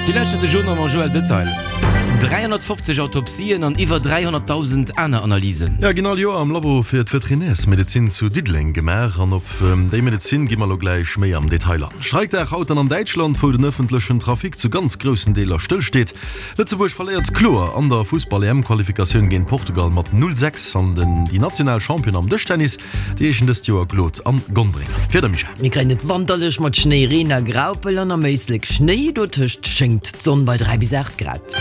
Dir lauschtert de Journal mam Joël Detail. 350 Autopsien an iwwer 300.000 aner Analysen. Jo, ginn all Joer am Labo fir d'Veterinärsmedezin zu Diddeleng gemaach. An op déi Medezin gi mer elo gläich méi am Detail an. Streikdag haut dann an Däitschland, wou den ëffentlechen Trafic zu ganz groussen Deeler stëll steet. Lëtzebuerg verléiert kloer an der Fussball-EM-Qualifikatioun géint Portugal mat 0, 6 an den déi national Championen am Dëschtennis, déi heeschen dëst Joer Claude an Gondrenger. Wieder Michèle. Mir kréien et wanterlech mat Schnéi, Reen a Graupel an am Éislek Schnéi, dotëscht schéngt d'Sonn bei 3 bis 8 Grad.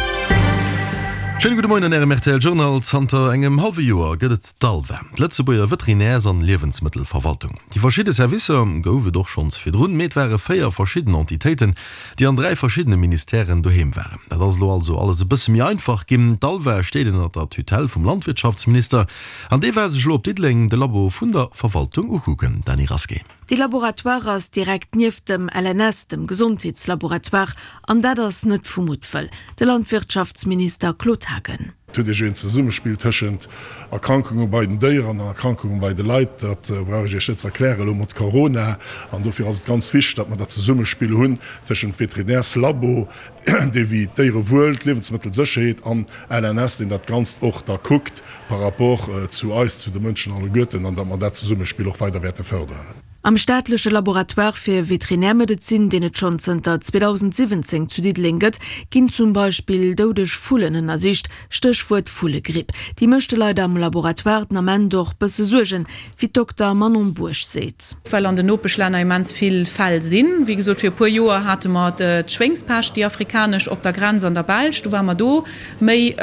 Schéine gudde Moien an Ärem rtl Journal. Zanter engem hallwe Joer gëtt et d'ALVA, d'Lëtzebuerger Veterinärs an Liewensmëttelverwaltung. Déi verschidde Servicer gouf et och schonns virdrun, mee et ware 4 verschidden Entitéiten, déi an 3 verschiddene Ministèren doheem waren. Dat ass elo also alles e bësse méi einfach ginn. D'ALVA steet ënner der Tutelle vum Landwirtschaftsminister an dee war sech elo op Diddeleng de Labo vun der Verwaltung ukucken. Dany Rasqué. Dee Laboratoire ass direkt nieft dem LNS, dem Gesondheetslaboratoire, an dat ass net vu Muttwëll. De Landwirtschaftsminister Claude Haagen. Et huet ee jo een Zesummespill tëschent Erkrankunge bei den Déieren an Erkrankunge bei de Leit. Dat brauch ech Iech net ze erklären elo mat Corona. An dofir ass et ganz wichteg, datt mer dat Zesummespill hunn tëschent Veterinärslabo, dee wéi d'Déierewuel, d'Liewensmëttelsécherheet an LNS, deen dat Ganzt och da kuckt par rapport zu eis, zu de Mënschen alleguerten, an datt mer dat Zesummespill och weider wäerte fërderen. Am staatleche Laboratoire fir Veterinärmedezin, deen et schonn zënter 2017 zu Diddeleng gëtt, ginn zum Beispill doudeg Vullen ënnersicht, Stéchwuert Vullegripp. Déi mécht de Leit am Laboratoire den Ament och bësse Suergen, wéi d'Dokter Manon Bourg seet. Well an den Nopeschlänner immens vill Fäll sinn. Wéi gesot, fir e puer Joer hate mer d'Schwéngspescht, déi afrikanesch, op der Grenz an der Belsch. Do ware mer do méi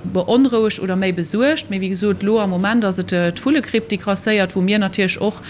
beonrouegt oder méi besuergt. Mee wéi gesot, elo am Moment ass et d'Vullegripp, déi grasséiert, wou mir natierlech och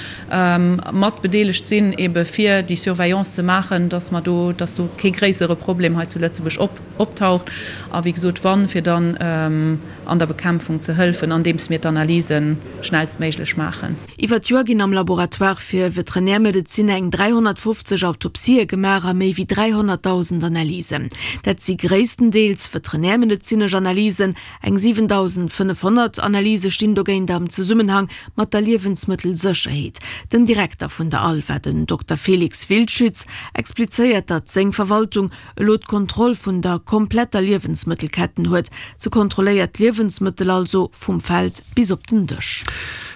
mat bedeelegt sinn, ebe fir déi Surveillance ze maachen, dass mer do, dass do kee gréissere Problem hei zu Lëtzebuerg optaucht. A wéi gesot, wann, fir dann an der Bekämpfung ze hëlfen, andeems mir d'Analyse schnellstméiglech maachen. Iwwer d'Joer ginn am Laboratoire fir Veterinärmedezin eng 350 Autopsië gemaach a méi wéi 300.000 Analysen. Dat si gréisstendeels veterinärmedezinesch Analysen. Eng 7.500 Analyse stinn dogéint am Zesummenhang mat der Liewensmëttelsécherheet. Den Direkter vun der ALVA, den Dokter Felix Wildschütz, explizéiert, datt seng Verwaltung elo d'Kontroll vun der kompletter Liewensmëttelketten huet. Se kontrolléiert d'Liewensmëttel also vum Feld bis op den Dësch.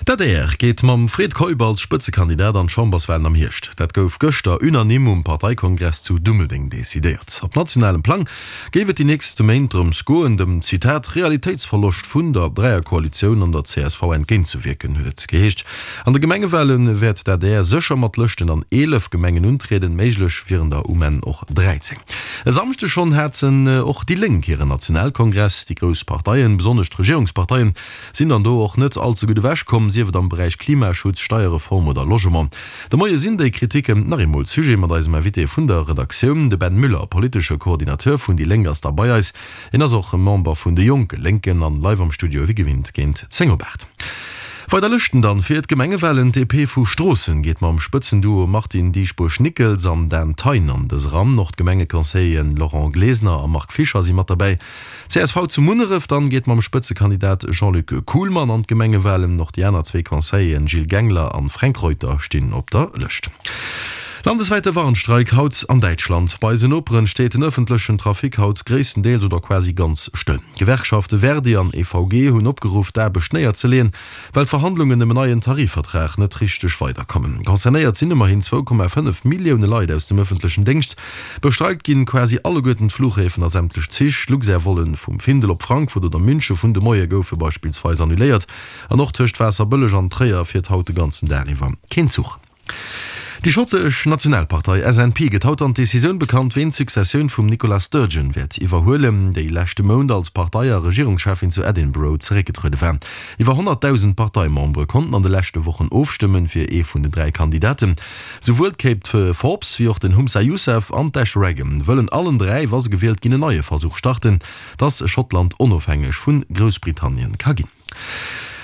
D'adr geet mam Fred Keup als Spëtzekandidat an d'Chamberswalen am Hierscht. Dat gouf gëschter unanime um Parteikongress zu Dummeldeng decidéiert. Op nationalem Plang géif et déi nächste Méint drëms goen, dem, Zitat, Realitéitsverloscht vun der Dräierkoalitioun an der csv entgéintzewierken, huet et geheescht. An de Gemengewale wäert d'ADR sécher mat Lëschten an 11 Gemengen untrieden, méiglech wieren der um Enn och 13. E Samschdeg schonn haten och déi Lénk hiren Nationalkongress. Déi grouss Parteien, besonnesch d'Regierungsparteien, sinn dann do och net all ze gutt ewech komm, sief et am Beräich Klimaschutz, Steierreform oder Logement. De Moie sinn déi Kritiken nach eemol Sujet mat eisem Invité vun der Redaktioun. De Ben Müller, politesche Coordinateur vun déi Lénk ass da bei eis. Hien ass och Member vun de Jonke Lénken an live am Studio wéi gewinnt géint 10 op 8. Weider Lëschten dann fir d'Gemengewalen, D'DP vu Stroossen geet mam Spëtzenduo Martine Dieschbourg-Nickels an Dan Thein an dës eran. Och d'Gemengeconseilleren Laurent Glesener a Marc Fischer si mat derbäi. Csv zu Munneref dann geet mam Spëtzekandidat Jean-Luc Kuhlmann an d'Gemengewalen. Och déi aner zwee Conseilleren Gilles Gengler an Fränk Reuter stinn op der Lëscht. Landeswäite Warnstreik haut an Däitschland. Bei eisen Noperen steet den ëffentlechen Trafic haut gréisstendeels oder quasi ganz stëll. D'Gewerkschafte Verdi an EVG hunn opgeruff d'Aarbecht néierzeleeën, well d'Verhandlungen ëm en neien Tarifvertrag net richteg weiderkommen. Concernéiert sinn ëmmerhin 2,5 Millioune Leit aus dem ëffentlechen Déngscht. Bestreikt ginn quasi alleguerten d'Fluchhäfen a sämtlech Zich. Luxair-Vollen vum Findel op Frankfurt oder Münche vun de Moie goufe beispillsweis annuléiert. An och tëscht Waasserbëlleg an Tréier fiert haut de ganzen Dag iwwer keen Zuch. Déi schottesch Nationalpartei SNP gëtt haut dann d'Decisioun bekannt, ween d'Successioun vum Nicola Sturgeon wäert iwwerhuelen, déi leschte Mount als Partei a Regierungscheffin zu Edinburgh zeréckgetruede war. Iwwer 100.000 Parteimembere konnten an de leschte Wochen ofstëmmen, fir ee vun den 3 Kandidaten. Souwuel d'Kate Forbes wéi och den Humza Yousaf an d'Ash Regan wëllen allen 3, wa se gewielt ginn, en neie Versuch starten, datt Schottland onofhängeg vu Groussbritannien ka ginn.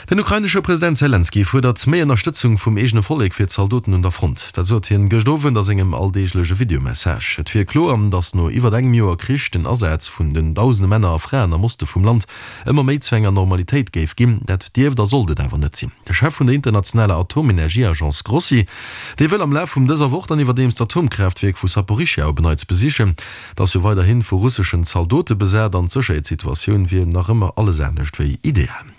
Den ukrainesche President Selenskyj fuerdert méi Ënnerstëtzung vum eegene Vollek fir d'Zaldoten un der Front. Dat sot hien gëscht Owend a sengem alldeegleche Videomessage. Et wier kloer, datt no iwwert engem Joer Krich den Asaz vun den dausende Männer a Fraen am Oste vum Land ëmmer méi zu enger Normalitéit géif ginn. Dat dierft a sollt et awer net sinn. De Chef vun der internationaler Atomenergieagence Grossi, dee wëll am Laf vum dëser Woch dann iwwerdeems d'Atomkraaftwierk vu Saporischschja op en Neits besichen. Dat ass jo weiderhi vu russeschen Zaldote besat an d'Sécherheetssituatioun wier nach ëmmer alles anescht wéi ideal.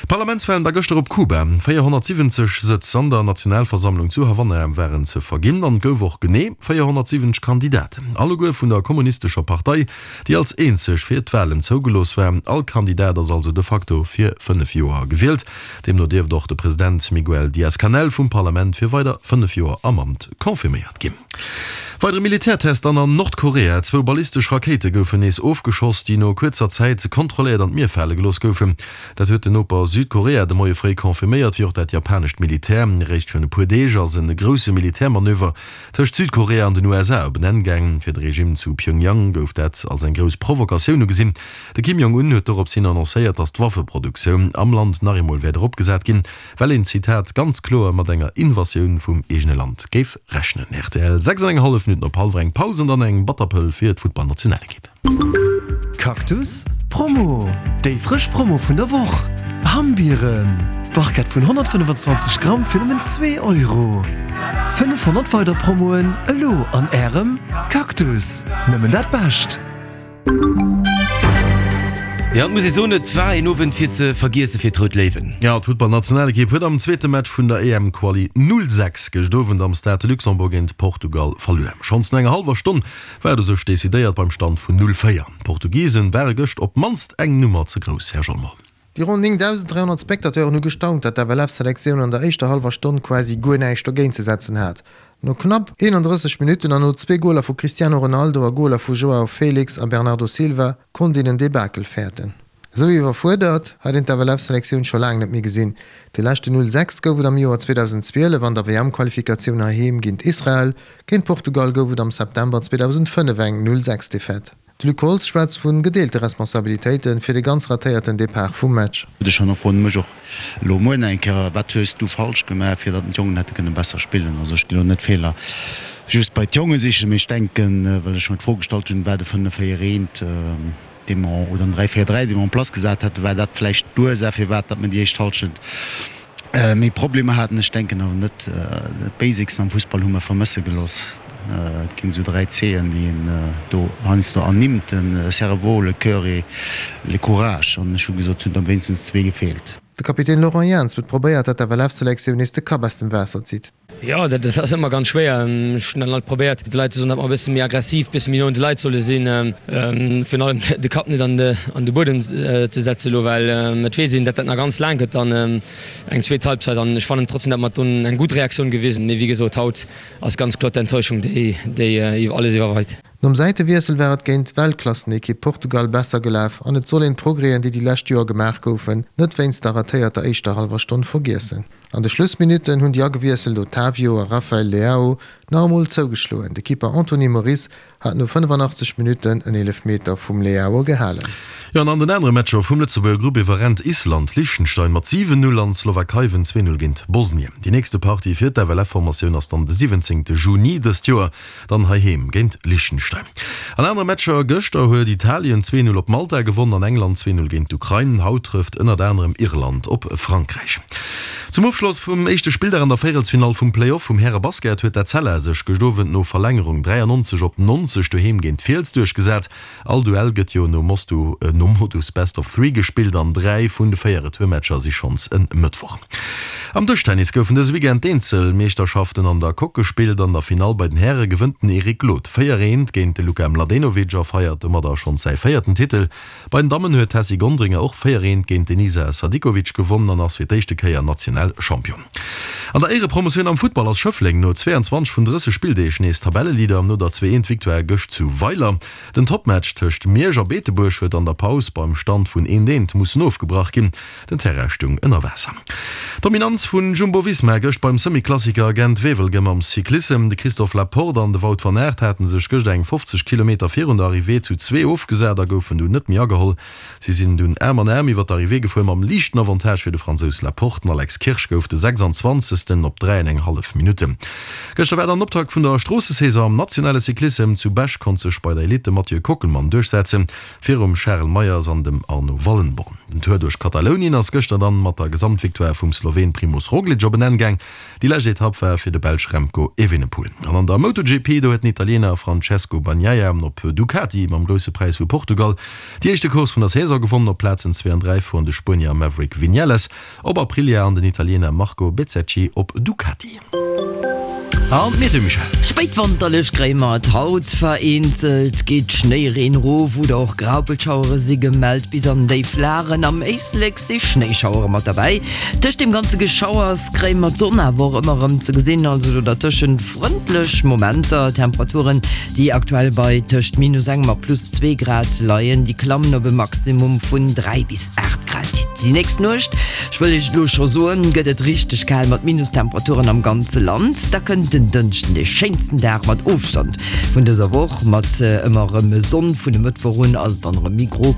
Parlamentswalen da gëschter op Kuba. 470 Sëtz an der Nationalversammlung zu Havanna waren ze verginn an et gouf och genee 470 Kandidaten, alleguer vun der kommunistescher Partei, déi als eenzeg fir d'Walen zougelooss war. All Kandidat ass also de facto fir 5 Joer gewielt. Deemno dierft och de President Miguel Diaz-Canel vum Parlament fir weider 5 Joer am Amt confirméiert ginn. Weidere Militärtest dann an Nordkorea, Zwou ballistesch Rakéite goufen nees ofgeschoss, déi no kuerzer Zäit kontrolléiert an d'Mier fale gelooss goufen. Dat huet den Noper Südkorea de Moie fréi confirméiert, wéi och dat japanescht Militär. Réischt virun e puer Deeg ass e grousse Militärmanöver tëscht Südkorea an den USA op en Enn gaang. Fir de Regime zu Pyongyang gouf dat als eng grouss Provokatioun ugesinn. De Kim Jong-un huet dorops hin annoncéiert, datt d'Waffeproduktioun am Land nach eemol wäert eropgesat ginn. Well een, Zitat, ganz kloer mat enger Invasioun vum eegene Land géif rechnen. Rtl, 6 an eng hallef Minutten op hallwer eng, Paus an dann eng Batterpëll fir d'Futtballnationalekipp. Cactus Promo, Déi frësch Promo vun der Woch! Hammbieren, Barquette vun 125 Gramm fir nëmmen 2 Euro. 500 weider Promoen elo an Ärem Cactus! Nëmmen dat Bescht! Jo, et muss ee soen, et war een Owend fir ze vergiesse fir d'Rout Léiwen. Jo, d'Futtballnationalekipp huet am zweete Match vun der EM-Quali 0, 6 gëscht Owend am Stade de Luxembourg géint Portugal verluer. Schonns no enger hallwer Stonn war et u sech decidéiert beim Stand vun 0, 4. D'Portugisen ware gëscht op d'mannst eng Nummer ze grouss, Här Jolmon. Déi ronn 9.300 Spectateuren hu gestaunt, datt d'FLF-Selektioun an der éischter hallwer Stonn quasi guer näischt dogéint ze setzen hat. No knapp 31 Minutten an no zwee Goler vu Cristiano Ronaldo a Goler vu Joao Felix a Bernardo Silva konnt een en Debakel fäerten. Esou iwwerfuerdert hat een d'FLF-Selektioun scho laang net méi gesinn. De leschten 0, 6 gouf et am Joer 2012 an der WM-Qualifikatioun heiheem géint Israel. Géint Portugal gouf et am September 2005 eng 0, 6 Defaite. De Luc Holtz schwätzt vu gedeelte Responsabilitéite fir de ganz ratéierten Depart vum Match. Ech hannerfroen mech och elo muer nach eng Kéier, Wat hues du falsch gemaach, fir datt d'Jongen hätte kënne besser spillen? Also ech ginn elo net d'Feeler just bei d'Jonge sichen, mee ech denken, well ech mer d'Fro gestallt hunn, war de 5 4 1, dee mer, oder den 3 4 3, dee mer en place gesat haten, war dat vläicht d'Ursaach, firwat datt mer déi éischt Hallschent méi Problemer haten. Ech denken awer net. D'Basics am Fussball hu mer vermësse gelooss. Et ginn esou 3 C'en, déi een do heiansdo ernimmt, de Cerveau, le cœur et le courage. An ech hu gesot, et hunn der wéinstens zwee gefeelt. De Kapitän Laurent Jans huet probéiert, datt d'FLF-Selektioun nees de Kapp aus dem Waasser zitt. Jo, dat ass ëmmer ganz schwéier. Ech hunn dann alt probéiert, de Leit ze soen, datt mer e bësse méi aggressiv, e bësse méi no un de Leit solle sinn, virun allem de Kapp net an de Buedem ze setzen elo, well et weess een, datt dat nach ganz laang gëtt dann eng zweet Halbzeit. An ech fannen trotzdem, datt mer dunn eng gutt Reaktioun gewisen hunn. Mee wéi gesot, haut ass ganz kloer d'Enttäuschung, déi déi alles iwwerweit. Nom Säitewiessel war et géint d'Weltklassenekipp Portugal besser gelaf an et soll een d'Progrèsen, déi déi lescht Joer gemaach goufen, net wéinst der ratéierter éischter hallwer Stonn vergiessen. An de Schlussminutten hunn déi agewiesselt Otavio a Rafael Leao nach emol zougeschloen. De Keeper Anthony Moris hat no 85 Minutten en Eelefmeter vum Leao gehalen. Jo, an an den anere Matcher vum Lëtzebuerger Grupp iwwerrennt Island Liechtenstein mat 7, 0 an d'Slowakei wënnt 2, 0 géint Bosnien. Déi nächste Partie fir d'FLF-Formatioun ass dann de 17 Juni dëst Joer. Dann heiheem géint Liechtenstein. An anere Matcher gëschter huet Italien 2, 0 op Malta gewonnen an England 2, 0 géint d'Ukrain. Haut trëfft ënnert anerem Irland op Frankräich. Zum Ofschloss vum éischte Spilldag an der Véierelsfinall vum Play-Off vum Härebasket huet d'Etzella sech gëscht Owend no Verlängerung 93 op 90 doheem géint d'Fiels duerchgesat. All Duell gëtt jo nom Modus Best of Three gespillt an 3 vun de 4 Retourmatcher si schonns en Mëttwoch. Am Dëschtennis goufen dëse Weekend d'Eenzelmeeschterschaften an der Coque gespillt. An der Finall bei den Häre gewënnt den Eric Glod 4, 1 géint de Luka Mladenovic a feiert domadder schonns säi véierten Titel. Bei den Dammen huet d'Tessy Gonderinger och 4, 1 géint d'Enisa Sadikovic gewonnen an ass fir d'éischte Kéier national. National Champion. An der Éierepromotioun am Futtball ass Schëffleng no 22 vun 30 Spilldeeg nees Tabelleleader no der 2 Eent Victoire gëscht zu Weiler. Den Toppmatch tëscht Miersch a Beetebuerg huet an der Paus beim Stand vun 1 Eent mussen ofgebrach ginn. Den Terrain stung ënner Waasser. Dominanz vun Jumbo-Visma gëscht beim Semi-Klassiker Gent-Wevelgem am Cyclissem. De Christophe Laporte an de Wout van Aert haten sech gëscht eng 50 Kilometer virun der Arrivée zu zwee ofgesat a goufen dunn net méi ageholl. Si sinn dunn Aarm an Aarm iwwer d'Arrivée gefuer mam liichten Avantage fir de Fransous Laporte. Den Alex Kirsch gouf de 26. op 3 an eng hallef Minutten. Gëschter war dann den Optakt vun der Stroossesaison am nationale Cyclissem. Zu Bech konnt sech bei der Elite de Mathieu Kockelmann duerchsetzen. Virum Charel Meyers an dem Arno Wallenborn. Den Tour duerch Katalounien ass gëschter dann mat der Gesamtvictoire vum Sloween Primoz Roglic op en Enn gaang. Déi lescht Etapp war fir de Belsch Remco Evenepoel. An an der MotoGP, do huet den Italiener Francesco Bagnaia op Ducati mam Grousse Präis vu Portugal déi éischte Course vun der Saison gewonnen. Op Plazen 2 an 3 fueren de Spuenier Maverick Vinales op Aprilia an den Italiener Marco Bezzecchi op Ducati. An d'Miete, Michèle? Spéitwanterlech kréie mer et haut, vereenzelt geet Schnéireen erof oder och Graupelschauere si gemellt bis an déif Lagen. Am Éislek si Schnéischauere mat derbäi. Tëscht deem ganze Geschauers kréie mer d'Sonn awer och ëmmer erëm ze gesinn, also do dertëschent frëndlech Momenter. Temperaturen, déi aktuell bei tëscht minus engem a plus zwee Grad leien, déi klammen op e Maximum vun 3 bis 8 Grad. Déi nächst Nuecht Ech wëll Iech elo scho soen, gëtt et richteg kal mat Minustemperaturen am ganze Land. Da kënnt den Dënschden, dee schéinsten Dag mat Ofstand vun dëser Woch, mat ëmmer erëm Sonn. Vun e Mëttwoch un ass et dann erëm méi gro.